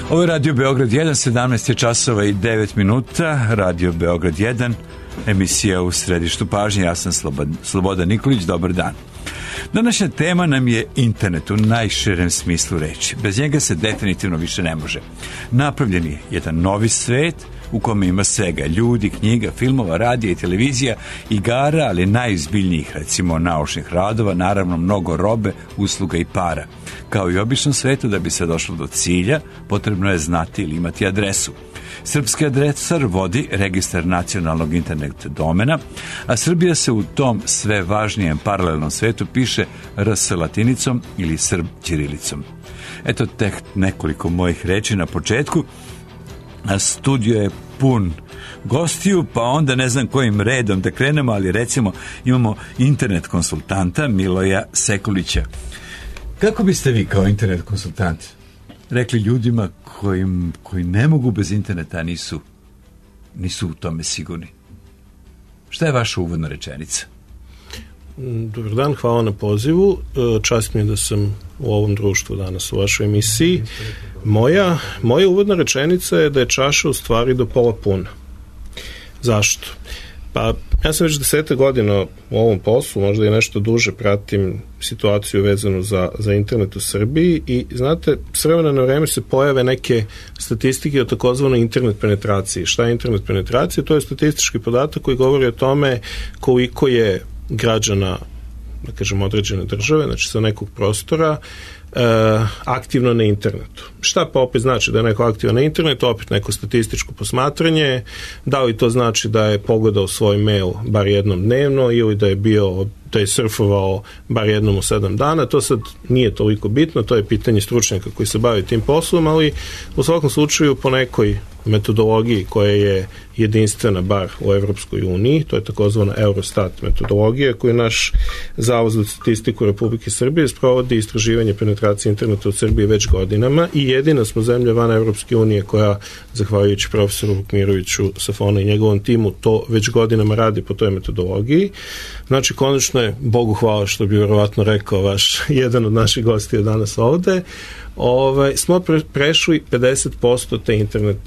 Ovo je Radio Beograd 1, 17 je časova i 9 minuta. Radio Beograd 1, emisija u središtu pažnje. Ja sam Slobodan Nikolić, dobar dan. Današnja tema nam je internet u najširem smislu reči. Bez njega se definitivno više ne može. Napravljen je jedan novi svet u kome ima svega, ljudi, knjiga, filmova, radija i televizija, igara, ali najizbiljnijih, recimo naučnih radova, naravno mnogo robe, usluga i para. Kao i u običnom svetu, da bi se došlo do cilja, potrebno je znati ili imati adresu. Srpski adresar vodi registar nacionalnog internet domena, a Srbija se u tom sve važnijem paralelnom svetu piše RS latinicom ili Srb ćirilicom. Eto tek nekoliko mojih reči na početku. A studio je pun gostiju, pa onda ne znam kojim redom da krenemo, ali recimo imamo internet konsultanta Miloja Sekulića. Kako biste vi kao internet konsultant rekli ljudima koji ne mogu bez interneta, nisu u tome sigurni? Šta je vaša uvodna rečenica? Dobar dan, hvala na pozivu. Čast mi je da sam u ovom društvu danas u vašoj emisiji. Moja uvodna rečenica je da je čaša u stvari do pola puna. Zašto? Pa ja sam već 10 godina u ovom poslu, možda i nešto duže pratim situaciju vezanu za internet u Srbiji i znate, s vremena na vreme se pojave neke statistike o takozvanoj internet penetraciji. Šta je internet penetracija? To je statistički podatak koji govori o tome koliko je građana, da kažem, određene države, znači sa nekog prostora, aktivno na internetu. Šta pa opet znači da je neko aktivan na internetu? Opet neko statističko posmatranje. Da li to znači da je pogledao svoj mail bar jednom dnevno ili da je surfovao bar jednom u 7 dana? To sad nije toliko bitno, to je pitanje stručnjaka koji se bave tim poslom, ali u svakom slučaju po nekoj metodologiji koja je jedinstvena bar u Evropskoj uniji, to je takozvana Eurostat metodologija koju naš Zavod za statistiku Republike Srbije sprovodi istraživanje penetracije interneta u Srbiji već godinama i jedina smo zemlja van Evropske unije koja, zahvaljujući profesoru Vukmiroviću Safona i njegovom timu, to već godinama radi po toj metodologiji. Znači, konačno je, Bogu hvala, što bi vjerovatno rekao jedan od naših gostija danas ovde, smo prešli 50% te internet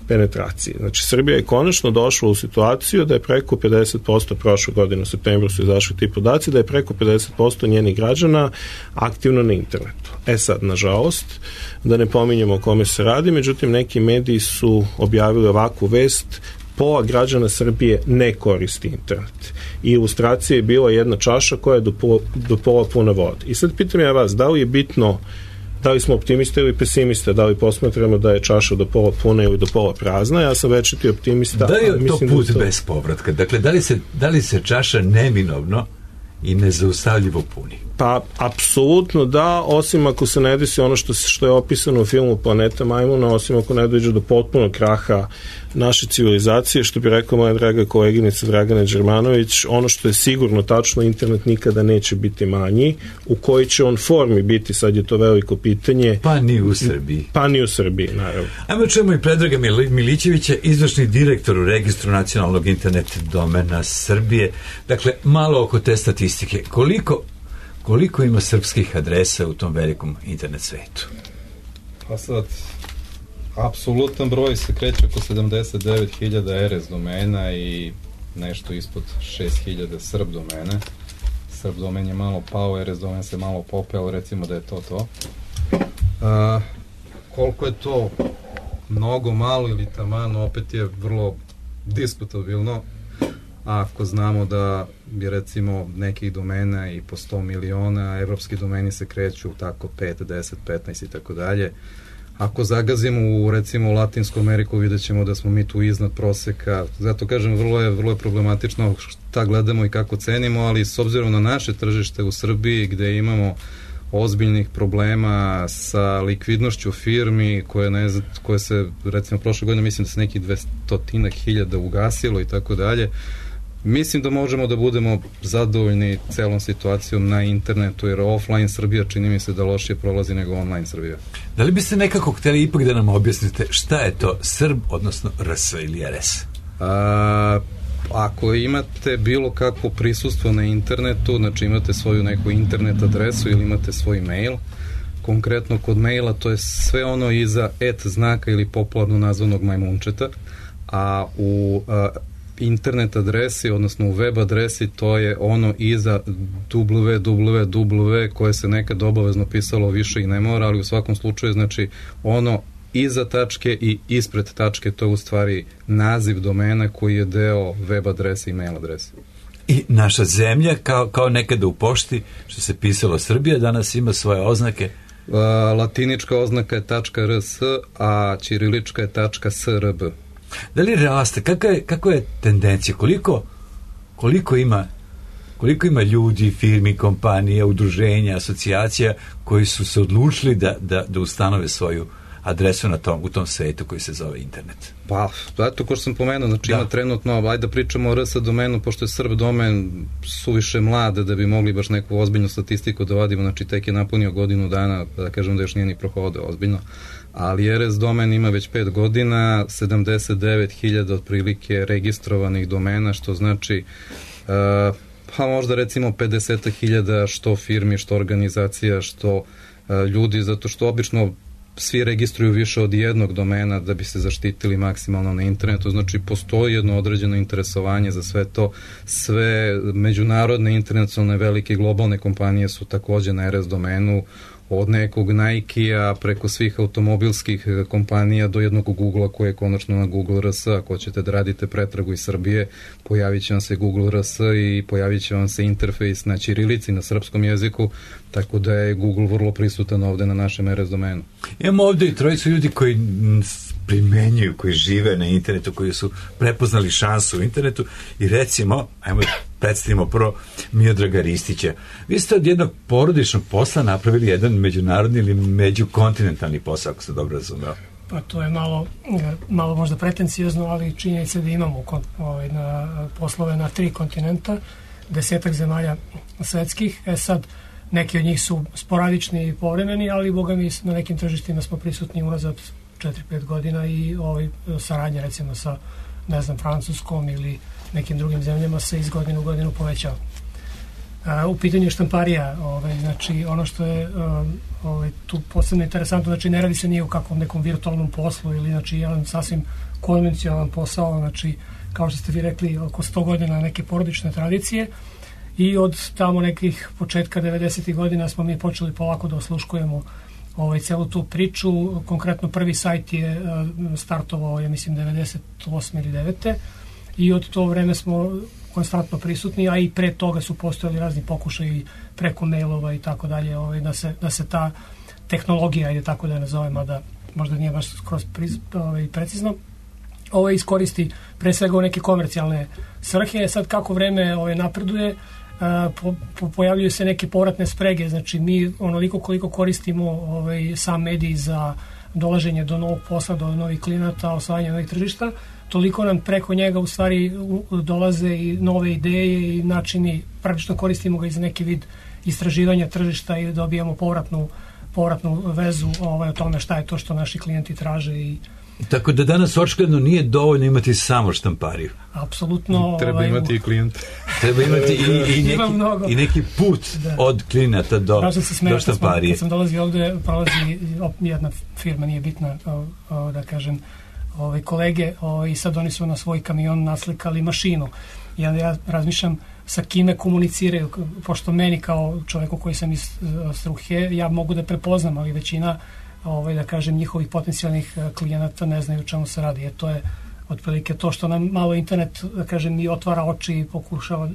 penetracije. Znači, Srbija je konačno došla u situaciju da je preko 50%, prošle godine u septembru su izašli ti podaci, da je preko 50% njenih građana aktivno na internetu. Sad, nažalost, da ne pominjemo o kome se radi, međutim, neki mediji su objavili ovakvu vest: pola građana Srbije ne koristi internet. I ilustracija je bila jedna čaša koja je do pola puna vode. I sad pitam ja vas, da li je bitno da li smo optimiste ili pesimiste, da li posmatramo da je čaša do pola puna ili do pola prazna? Ja sam večiti optimista. Da je to put bez povratka? Dakle, da li se čaša neminovno i nezaustavljivo puni? Pa, apsolutno da, osim ako se ne desi ono što je opisano u filmu Planeta majmuna, osim ako ne dođe do potpunog kraha naše civilizacije, što bi rekao moja draga koleginica Dragana Đermanović, ono što je sigurno tačno, internet nikada neće biti manji. U kojoj će on formi biti, sad je to veliko pitanje. Pa ni u Srbiji. Pa ni u Srbiji, naravno. Ajmo čujemo i Predraga Milićevića, izvršni direktor u Registru nacionalnog internet domena Srbije. Dakle, malo oko te statistike. Koliko ima srpskih adresa u tom velikom internet svetu? Pa sad, apsolutan broj se kreće oko 79.000 RS domena i nešto ispod 6.000 Srb domene. Srb domen je malo pao, RS domen se malo popeo, recimo da je to. Koliko je to mnogo, malo ili taman, opet je vrlo diskutabilno. Ako znamo da bi recimo nekih domena i po 100 miliona, evropski domeni se kreću tako 5, 10, 15 i tako dalje. Ako zagazimo u recimo Latinsku Ameriku, vidjet ćemo da smo mi tu iznad proseka. Zato kažem, vrlo je problematično šta gledamo i kako cenimo, ali s obzirom na naše tržište u Srbiji gde imamo ozbiljnih problema sa likvidnošću firmi koje se recimo prošle godine mislim da se nekih 200.000 ugasilo i tako dalje. Mislim da možemo da budemo zadovoljni celom situacijom na internetu, jer offline Srbija čini mi se da lošije prolazi nego online Srbija. Da li biste nekako hteli ipak da nam objasnite šta je to Srb, odnosno RS ili RS? Ako imate bilo kakvo prisustvo na internetu, znači imate svoju neku internet adresu ili imate svoj mail, konkretno kod maila, to je sve ono iza znaka ili popularno nazvanog majmunčeta, a u internet adresi, odnosno u web adresi, to je ono iza www koje se nekad obavezno pisalo više i ne mora, ali u svakom slučaju, znači, ono iza tačke i ispred tačke, to je u stvari naziv domena koji je deo web adrese i mail adrese. I naša zemlja, kao nekada u pošti, što se pisalo Srbija, danas ima svoje oznake. Latinička oznaka je .rs, a ćirilička je .srb. Da li raste? Kako je tendencija? Koliko ima ljudi, firmi, kompanija, udruženja, asocijacija koji su se odlučili da ustanove svoju adresu u tom svetu koji se zove internet? Pa, eto, ko što sam pomenuo, znači ima trenutno, ajde da pričamo o RS domenu, pošto je Srb domen suviše mlade da bi mogli baš neku ozbiljnu statistiku da vadimo, znači tek je napunio godinu dana, da kažem da još nije ni prohodao ozbiljno, ali RS domen ima već 5 godina, 79.000 otprilike registrovanih domena, što znači pa možda recimo 50.000 što firmi, što organizacija, što ljudi, zato što obično svi registruju više od jednog domena da bi se zaštitili maksimalno na internetu, znači postoji jedno određeno interesovanje za sve to, sve međunarodne, internacionalne, velike globalne kompanije su takođe na RS domenu, od nekog Nike-a preko svih automobilskih kompanija do jednog Google-a koji je konačno na Google RS. Ako ćete da radite pretragu iz Srbije, pojavit će vam se Google RS i pojavit će vam se interfejs na ćirilici, na srpskom jeziku, tako da je Google vrlo prisutan ovde na našem RS domenu. Imamo ovde i trojicu ljudi koji primenjuju, koji žive na internetu, koji su prepoznali šansu u internetu i recimo, ajmo predstavimo prvo Miodraga Ristića. Vi ste od jednog porodičnog posla napravili jedan međunarodni ili međukontinentalni posao, ako se dobro razumeo. Pa to je malo možda pretencijozno, ali činjenica da imamo poslove na 3 kontinenta, 10 zemalja svetskih. Sad, neki od njih su sporadični i povremeni, ali boga mi na nekim tržištima smo prisutni unazad 4-5 godina i saradnja recimo sa, ne znam, Francuskom ili nekim drugim zemljama se iz godine u godinu povećava. U pitanju štamparija, znači ono što je tu posebno interesantno, znači ne radi se nije u kakvom nekom virtualnom poslu ili znači jedan sasvim konvencionalan posao, znači kao što ste vi rekli oko 100 godina neke porodične tradicije i od tamo nekih početka 90. godina smo mi počeli polako da osluškujemo celu tu priču. Konkretno prvi sajt je startovao, ja mislim, 98. ili 9. I od to vreme smo konstantno prisutni, a i pre toga su postojali razni pokušaji preko mailova i tako dalje, da se ta tehnologija, ajde tako da je nazovem, a da možda nije baš skroz precizno, iskoristi pre svega u neke komercijalne svrhe. Sad kako vreme napreduje, pojavljuju se neke povratne sprege, znači mi onoliko koliko koristimo sam medij za dolaženje do novog posla, do novih klijenata, osvajanje novih tržišta, toliko nam preko njega u stvari dolaze i nove ideje i načini, praktično koristimo ga i za neki vid istraživanja tržišta i dobijamo povratnu vezu o tome šta je to što naši klijenti traže. Tako da danas očigledno nije dovoljno imati samo štampariju. Apsolutno. Treba imati i klijent. Treba imati i neki put od klijenata do štamparije. Kad sam dolazio ovde, prolazi jedna firma, nije bitna, da kažem, kolege, i sad oni su na svoj kamion naslikali mašinu. Ja razmišljam sa kime komuniciraju, pošto meni kao čoveku koji sam iz struke, ja mogu da prepoznam, ali većina da kažem, njihovih potencijalnih klijenata ne znaju o čemu se radi. To je otprilike to što nam malo internet, da kažem, i otvara oči i pokušava,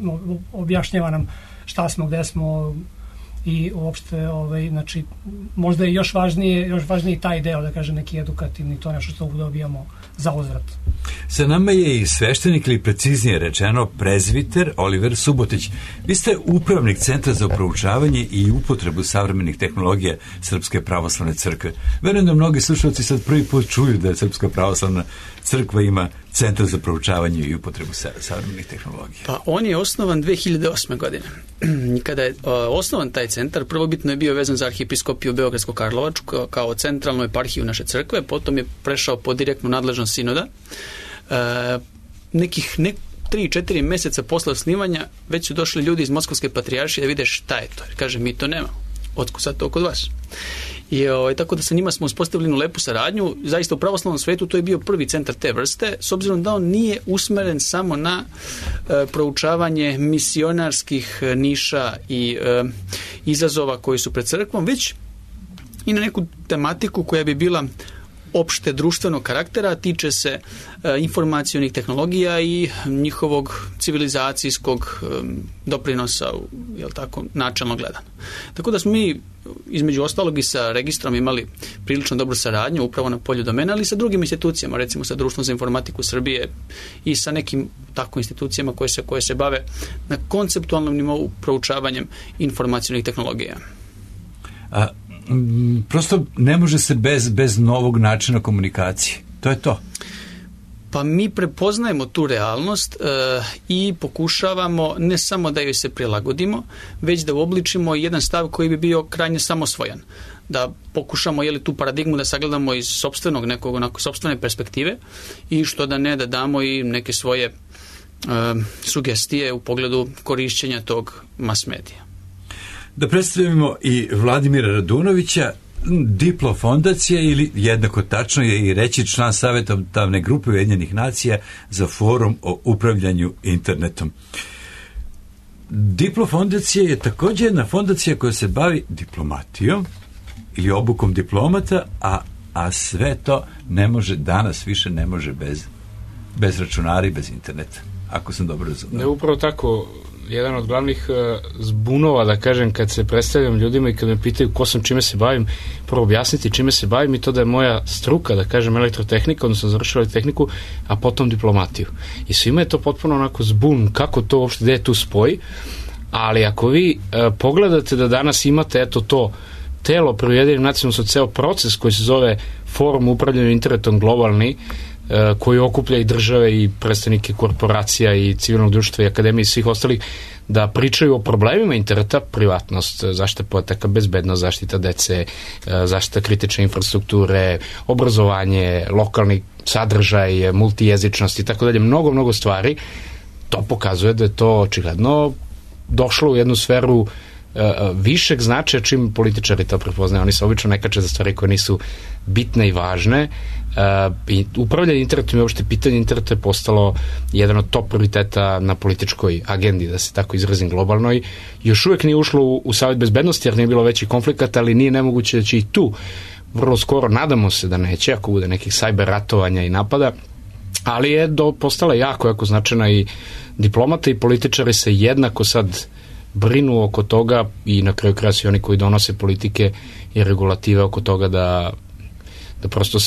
objašnjava nam šta smo, gde smo i uopšte, znači, možda je još važniji taj deo, da kažem, neki edukativni, to nešto što dobijamo za uzvrat. Sa nama je i sveštenik, ili preciznije rečeno prezviter Oliver Subotić. Vi ste upravnik Centra za proučavanje i upotrebu savremenih tehnologija Srpske pravoslavne crkve. Verujem da mnogi slušalci sad prvi put čuju da Srpska pravoslavna crkva ima Centar za proučavanje i upotrebu savremenih tehnologija. Pa on je osnovan 2008. godine. Kada je osnovan taj centar, prvobitno je bio vezan za arhijepiskopiju Beogradsko-Karlovačku kao centralnu eparhiju naše crkve, potom je prešao pod direktnu nadležnost sinoda. Nekih 3-4 meseca posle osnivanja već su došli ljudi iz Moskovske patrijaršije da vide šta je to. Kaže, mi to nemamo. Otkud sad to kod vas? I tako da sa njima smo uspostavili lepu saradnju. Zaista u pravoslavnom svetu to je bio prvi centar te vrste, s obzirom da on nije usmeren samo na proučavanje misionarskih niša i izazova koji su pred crkvom, već i na neku tematiku koja bi bila opšte društvenog karaktera, tiče se informacionih tehnologija i njihovog civilizacijskog doprinosa, jel tako, načelno gledano. Tako da smo mi, između ostalog i sa registrom, imali prilično dobru saradnju upravo na polju domena, ali i sa drugim institucijama, recimo sa Društvom za informatiku Srbije i sa nekim tako institucijama koje se bave na konceptualnom nivou proučavanjem informacionih tehnologija. Prosto ne može se bez novog načina komunikacije. To je to. Pa mi prepoznajemo tu realnost i pokušavamo ne samo da joj se prilagodimo, već da uobličimo jedan stav koji bi bio krajnje samosvojan. Da pokušamo tu paradigmu da sagledamo iz sopstvene perspektive i što da ne, da damo i neke svoje sugestije u pogledu korišćenja tog mass medija. Da predstavimo i Vladimira Radunovića, Diplo fondacija, ili jednako tačno je i reći član savjetodavne grupe Ujedinjenih nacija za forum o upravljanju internetom. Diplo fondacija je također jedna fondacija koja se bavi diplomatijom ili obukom diplomata, a sve to više ne može bez računara i bez interneta, ako sam dobro razumio. Ne, upravo tako. Jedan od glavnih zbunova, da kažem, kad se predstavljam ljudima i kad me pitaju ko sam, čime se bavim, prvo objasniti čime se bavim i to da je moja struka, da kažem, elektrotehnika, odnosno završila tehniku, a potom diplomatiju. I svima je to potpuno onako zbun, kako to uopšte, gde je tu spoj, ali ako vi pogledate da danas imate to telo pri Ujedinjenim nacijama, su ceo proces koji se zove Forum upravljanja internetom globalni, koji okuplja i države i predstavnike korporacija i civilnog društva i akademije i svih ostalih, da pričaju o problemima interneta, privatnost, zaštita podataka, bezbednost, zaštita dece, zaštita kritične infrastrukture, obrazovanje, lokalni sadržaj, multijezičnost i tako dalje, mnogo stvari. To pokazuje da je to očigledno došlo u jednu sferu višeg značaja čim političari to prepoznaju. Oni se obično ne kače za stvari koje nisu bitne i važne. I upravljanje internetom i uopšte pitanje interneta je postalo jedan od top prioriteta na političkoj agendi, da se tako izrazim, globalnoj. Još uvijek nije ušlo u Savet bezbednosti jer nije bilo većih konflikata, ali nije nemoguće da će i tu vrlo skoro, nadamo se da neće, ako bude nekih cyber ratovanja i napada, ali je postala jako značajna i diplomata i političari se jednako sad brinu oko toga i na kraju kraja svi oni koji donose politike i regulative oko toga da prosto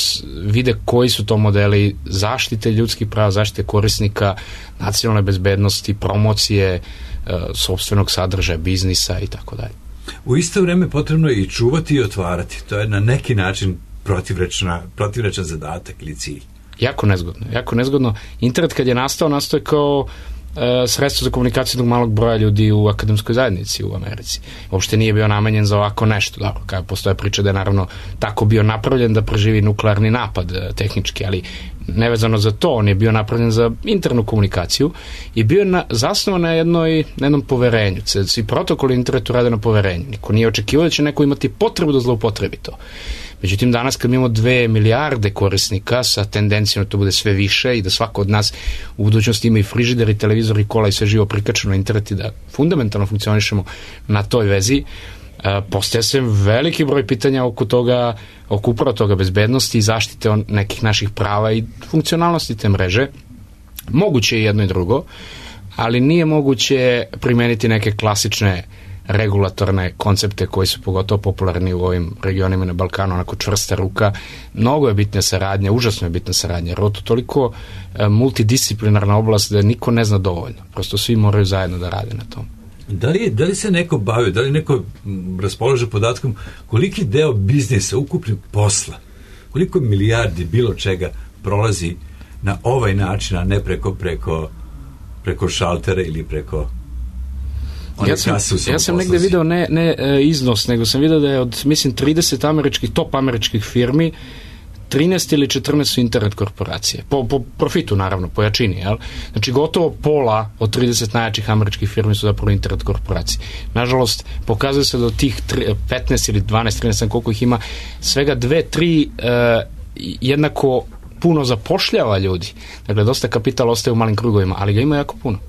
vide koji su to modeli zaštite ljudskih prava, zaštite korisnika, nacionalne bezbednosti, promocije sopstvenog sadržaja, biznisa i tako dalje. U isto vrijeme potrebno je i čuvati i otvarati. To je na neki način protivrečan zadatak ili cilj. Jako nezgodno. Internet kad je nastao je kao sredstvo za komunikaciju jednog malog broja ljudi u akademskoj zajednici u Americi. Uopšte nije bio namenjen za ovako nešto. Dobro, kada postoje priča da je naravno tako bio napravljen da preživi nuklearni napad tehnički, ali nevezano za to, on je bio napravljen za internu komunikaciju i bio zasnovan na jednom poverenju. Svi protokoli internetu rade na poverenju. Niko nije očekivao da će neko imati potrebu da zloupotrebi to. Međutim, danas kad imamo 2 milijarde korisnika sa tendencijom da to bude sve više i da svako od nas u budućnosti ima i frižider i televizor i kola i sve živo prikačeno na internet i da fundamentalno funkcionišemo na toj vezi, postaje se veliki broj pitanja oko toga, oko upravo toga bezbednosti i zaštite nekih naših prava i funkcionalnosti te mreže. Moguće je jedno i drugo, ali nije moguće primeniti neke klasične regulatorne koncepte koji su pogotovo popularni u ovim regionima na Balkanu, onako čvrsta ruka. Mnogo je bitna saradnja, užasno je bitna saradnja, jer je to toliko multidisciplinarna oblast da niko ne zna dovoljno. Prosto svi moraju zajedno da rade na tom. Da li se neko bavi, da li neko raspolaže podatkom koliki deo biznisa, ukupnog posla, koliko milijardi bilo čega prolazi na ovaj način, a ne preko šaltera ili preko... Ja sam negde video ne iznos, nego sam video da je od, mislim, 30 top američkih firmi 13 ili 14 su internet korporacije. Po profitu, naravno, po jačini. Jel? Znači, gotovo pola od 30 najjačih američkih firmi su zapravo internet korporacije. Nažalost, pokazuje se da od tih 15 ili 12, 13, koliko ih ima, svega 2-3 jednako puno zapošljava ljudi. Dakle, dosta kapitala ostaje u malim krugovima, ali ga ima jako puno.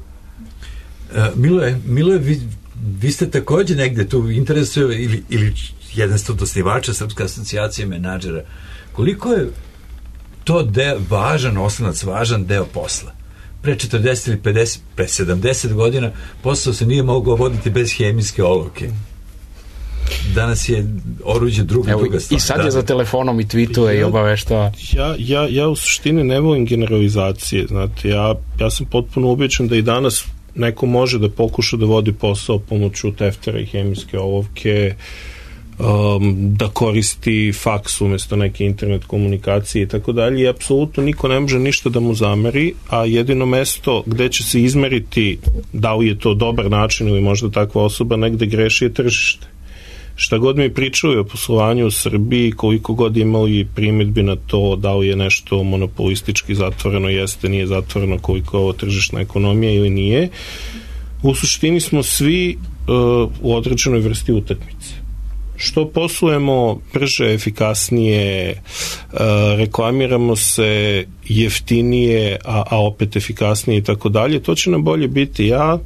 Miloje, vi ste također negde tu interesuje ili jedan ste od osnivača Srpske asocijacije menadžera. Koliko je to važan oslonac, važan deo posla? Pre 40 ili 50, pre 70 godina posao se nije mogao voditi bez hemijske olovke. Danas je oruđe druga stvar. I sad je za telefonom i tweetuje i obaveštava. Ja u suštini ne volim generalizacije. Znate, ja sam potpuno ubeđen da i danas neko može da pokuša da vodi posao pomoću teftera i hemijske olovke, da koristi faks umjesto neke internet komunikacije i tako dalje, i apsolutno niko ne može ništa da mu zameri, a jedino mesto gde će se izmeriti da li je to dobar način ili možda takva osoba negde greši je tržište. Šta god mi pričaju o poslovanju u Srbiji, koliko god imali primjedbi na to da li je nešto monopolistički zatvoreno, jeste, nije zatvoreno, koliko je ovo tržišna ekonomija ili nije, u suštini smo svi u određenoj vrsti utakmice. Što poslujemo brže, efikasnije, reklamiramo se jeftinije, a opet efikasnije i tako dalje, to će nam bolje biti. Ja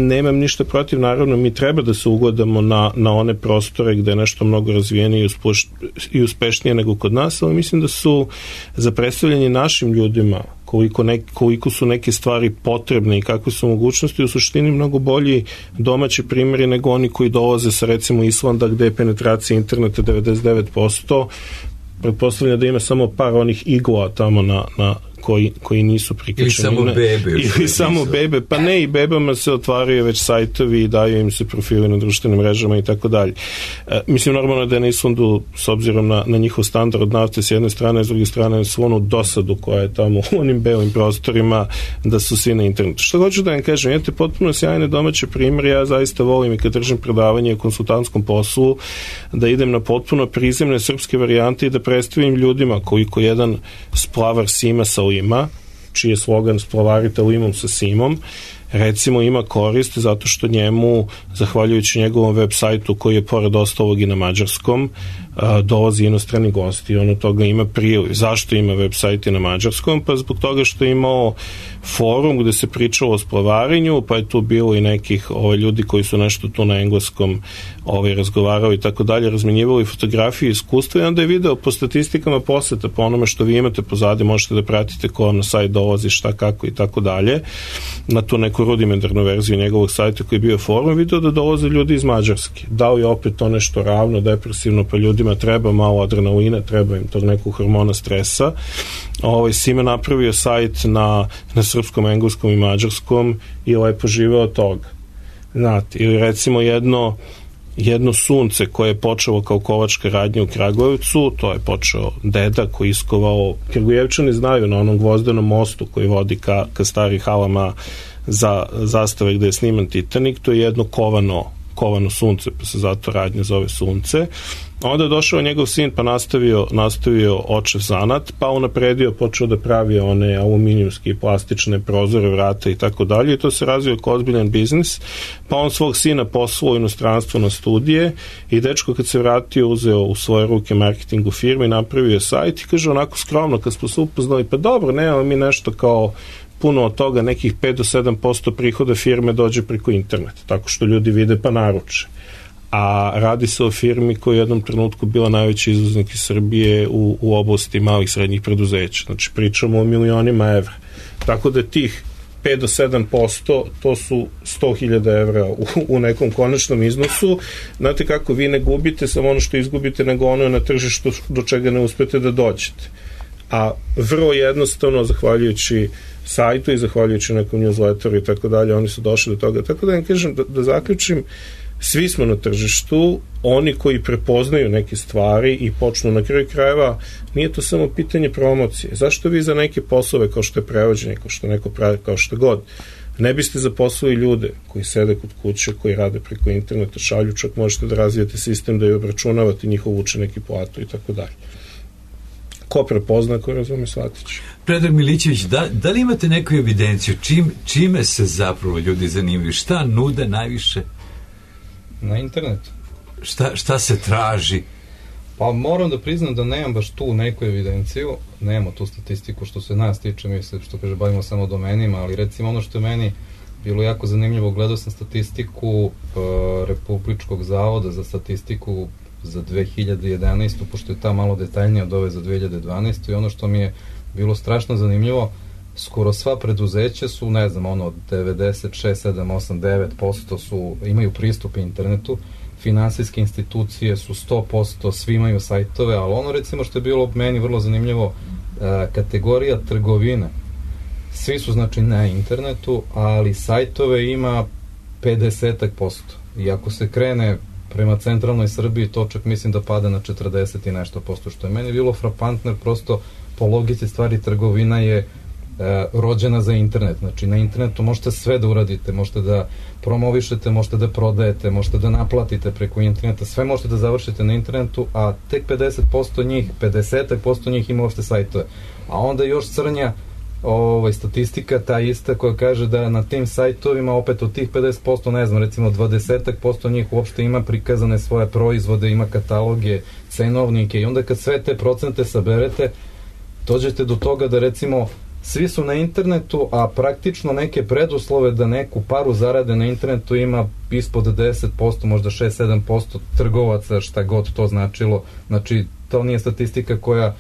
nemam ništa protiv, naravno mi treba da se ugledamo na one prostore gde je nešto mnogo razvijenije i uspešnije nego kod nas, ali mislim da su za predstavljanje našim ljudima koliko su neke stvari potrebne i kakve su mogućnosti, u suštini mnogo bolji domaći primjeri nego oni koji dolaze sa recimo Islanda gde je penetracija interneta 99%, pretpostavljam da ima samo par onih igla tamo na koji nisu prikačeni. Ili samo bebe. Pa ne, i bebama se otvaraju već sajtovi i daju im se profili na društvenim mrežama i tako dalje. Mislim, normalno da je na Islandu, s obzirom na njihov standard nafte s jedne strane, s druge strane svu onu dosadu koja je tamo u onim belim prostorima, da su svi na internetu. Što hoću da vam kažem, imate potpuno sjajne domaće primjere, ja zaista volim i kad držim predavanje o konsultantskom poslu, da idem na potpuno prizemne srpske varijante i da predstavim ljudima koliko jedan splavar Sima sa Lima, čiji je slogan splavarite limom sa Simom, recimo ima korist zato što njemu, zahvaljujući njegovom web sajtu koji je pored ostalog i na mađarskom, dolazi inostrani gosti i on od toga ima priliv. Zašto ima web sajt i na mađarskom? Pa zbog toga što je imao forum gde se pričalo o splavarenju, pa je tu bilo i nekih ljudi koji su nešto tu na engleskom razgovarali i tako dalje, razmenjivali fotografije i iskustva, i onda je video po statistikama poseta, po onome što vi imate pozadi, možete da pratite ko vam na sajt dolazi, šta, kako i tako dalje, na tu neku rudimentarnu verziju njegovog sajta koji je bio forum, video da dolaze ljudi iz Mađarske. Da li je opet to nešto ravno, depresivno, pa ljudima treba malo adrenalina, treba im tog nekog hormona stresa. Sime napravio sajt na srpskom, engleskom i mađarskom i lepo žive od toga. Znate, ili recimo jedno sunce koje je počelo kao kovačka radnja u Kragujevcu, to je počeo deda koji iskovao, Kragujevčani znaju, na onom gvozdenom mostu koji vodi ka starim halama za zastave gde je sniman Titanik, to je jedno kovano sunce, pa se zato radnja zove sunce. Onda je došao njegov sin pa nastavio očev zanat, pa unapredio, počeo da pravi one aluminijumske i plastične prozore, vrata i tako dalje, i to se razvio kao ozbiljan biznis, pa on svog sina poslao u inostranstvo na studije i dečko kad se vratio uzeo u svoje ruke marketing u firmi, napravio je sajt i kaže onako skromno kad smo se upoznali, pa dobro, nemamo mi nešto kao puno od toga, nekih 5 do 7% prihoda firme dođe preko interneta, tako što ljudi vide pa naruče. A radi se o firmi koja je u jednom trenutku bila najveći izvoznik iz Srbije u oblasti malih srednjih preduzeća. Znači pričamo o milionima evra. Tako da tih 5 do 7%, to su 100.000 evra u nekom konačnom iznosu. Znate kako, vi ne gubite samo ono što izgubite, nego ono na tržištu do čega ne uspete da dođete. A vrlo jednostavno, zahvaljujući sajtu i zahvaljujući nekom newsletteru i tako dalje, oni su došli do toga. Tako da vam kažem, da zaključim, svi smo na tržištu, oni koji prepoznaju neke stvari i počnu na kraju krajeva, nije to samo pitanje promocije. Zašto vi za neke poslove kao što je prevođenje, kao što neko pravi, kao što god, ne biste zaposlili ljude koji sede kod kuće, koji rade preko interneta, šalju, čak možete da razvijete sistem da je obračunavate njihov učenik i platu i tako dalje. ko prepozna, ko razume, shvatit će. Predrag Milićević, da li imate neku evidenciju čime se zapravo ljudi zanimaju? Šta nude najviše? Na internetu. Šta se traži? Pa moram da priznam da nemam baš tu neku evidenciju, nemamo tu statistiku što se nas tiče, mi se, što kaže, bavimo samo domenima, ali recimo ono što je meni bilo jako zanimljivo, gledao sam statistiku Republičkog zavoda za statistiku za 2011. pošto je ta malo detaljnija od ove za 2012. i ono što mi je bilo strašno zanimljivo, skoro sva preduzeća su, ne znam, 96, 7, 8, 9% imaju pristup internetu, finansijske institucije su 100%, svi imaju sajtove, ali ono recimo što je bilo meni vrlo zanimljivo, kategorija trgovine, svi su znači na internetu, ali sajtove ima 50%. I ako se krene prema centralnoj Srbiji, to čak mislim da pada na 40 i nešto posto, što je meni bilo frapantno, jer prosto po logici stvari trgovina je rođena za internet. Znači na internetu možete sve da uradite, možete da promovišete, možete da prodajete, možete da naplatite preko interneta, sve možete da završite na internetu, a tek 50% njih ima uopšte sajtove. A onda još crnja statistika ta ista koja kaže da na tim sajtovima opet od tih 50%, ne znam, recimo 20% njih uopšte ima prikazane svoje proizvode, ima kataloge, cenovnike, i onda kad sve te procente saberete, dođete do toga da recimo svi su na internetu, a praktično neke preduslove da neku paru zarade na internetu ima ispod 10%, možda 6-7% trgovaca, šta god to značilo. Znači, to nije statistika koja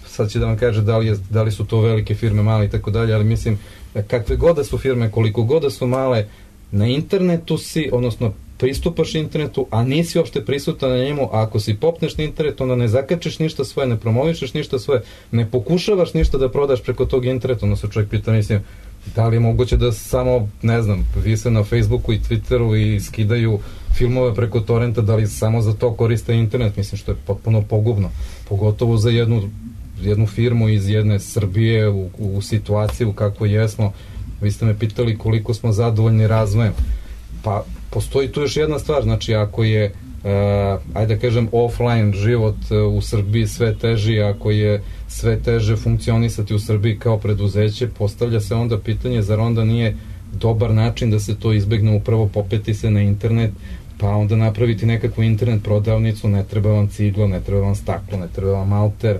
sad će da vam kaže da li su to velike firme, male i tako dalje, ali mislim, kakve god da su firme, koliko god da su male, na internetu si, odnosno pristupaš internetu, a nisi uopšte prisutan na njemu, a ako si popneš na internetu, onda ne zakačeš ništa svoje, ne promovišeš ništa svoje, ne pokušavaš ništa da prodaš preko tog interneta, onda se čovjek pita, mislim, da li je moguće da samo, ne znam, vise na Facebooku i Twitteru i skidaju filmove preko torrenta, da li samo za to koriste internet, mislim, što je potpuno pogubno, pogotovo za jednu firmu iz jedne Srbije u situaciji u kakvoj jesmo. Vi ste me pitali koliko smo zadovoljni razvojem. Pa postoji tu još jedna stvar, znači ako je ajde da kažem offline život u Srbiji sve teži, ako je sve teže funkcionisati u Srbiji kao preduzeće, postavlja se onda pitanje zar onda nije dobar način da se to izbegne, upravo popeti se na internet, pa onda napraviti nekakvu internet prodavnicu, ne treba vam ciglo, ne treba vam staklo, ne treba vam alter,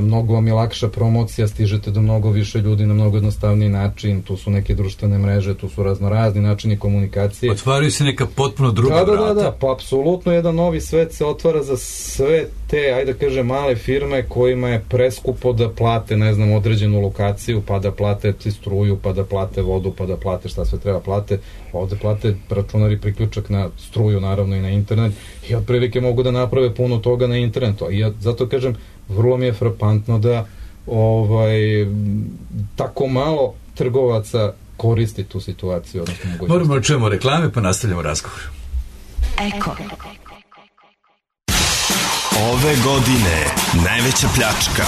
mnogo vam je lakša promocija, stižete do mnogo više ljudi na mnogo jednostavniji način, tu su neke društvene mreže, tu su raznorazni načini komunikacije. Otvaraju se neka potpuno druga vrata. Da, pa apsolutno jedan novi svet se otvara za sve te, ajde da kažem, male firme kojima je preskupo da plate, ne znam, određenu lokaciju, pa da plate struju, pa da plate vodu, pa da plate šta sve treba plate, ovde plate računar i priključak na struju, naravno i na internet, i otprilike mogu da naprave puno toga na internetu. I ja zato kažem, vrlo mi je frapantno da tako malo trgovaca koristi tu situaciju. Moramo da čujemo reklame pa nastavljamo razgovor. Eko. Ove godine najveća pljačka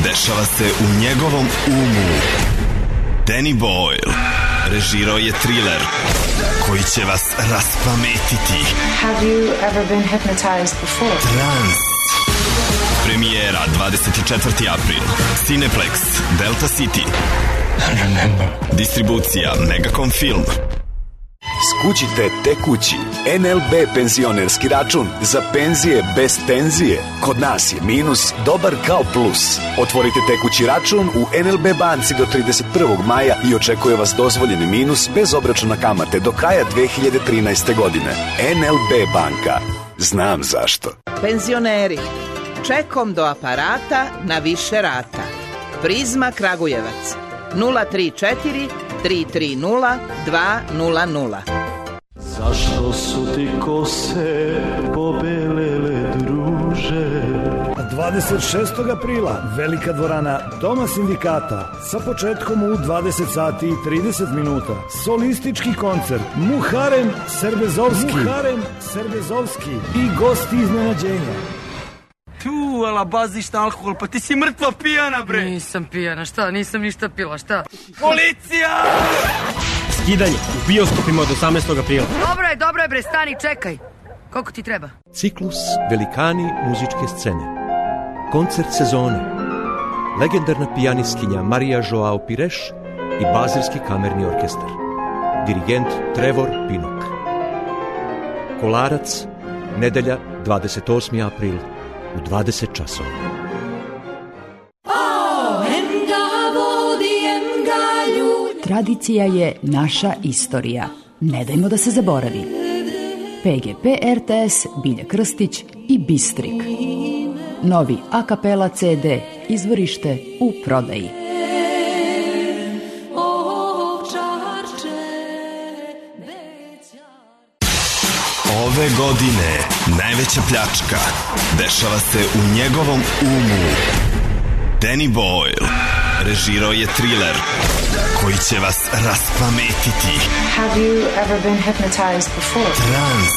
dešava se u njegovom umu. Danny Boyle režirao je thriller koji će vas raspametiti. Have you ever been hypnotized before? Trans. Premijera 24. april. Cineplex, Delta City. Distribucija Megacom Film. Skućite tekući NLB penzionerski račun za penzije bez tenzije. Kod nas je minus dobar kao plus. Otvorite tekući račun u NLB banci do 31. maja i očekuje vas dozvoljeni minus bez obračuna kamate do kraja 2013. godine. NLB banka. Znam zašto. Penzioneri, čekom do aparata na više rata. Prizma Kragujevac 034 330 200. Zašto su ti kose pobelele, druže? 26. aprila velika dvorana Doma sindikata sa početkom u 20 sati i 30 minuta. Solistički koncert Muharem Serbezovski i gosti iznenađenja. Tu, ala baziš na alkohol, pa ti si mrtva pijana, bre! Nisam pijana, šta? Nisam ništa pila, šta? Policija! Skidanje u bioskopima od 18. aprila. Dobro je, bre, stani, čekaj. Koliko ti treba? Ciklus Velikani muzičke scene. Koncert sezone. Legendarna pijanistkinja Marija Joao Pires i Bazilski kamerni orkestar. Dirigent Trevor Pinnock. Kolarac, nedelja 28. april u 20 časova. Tradicija je naša istorija. Ne dajmo da se zaboravi. PGP RTS, Bilja Krstić i Bistrik. Novi a kapela CD, izvorište u prodaji. Ove godine najveća pljačka dešava se u njegovom umu. Danny Boyle režirao je thriller koji će vas raspametiti. Have you ever been hypnotized before? Trans.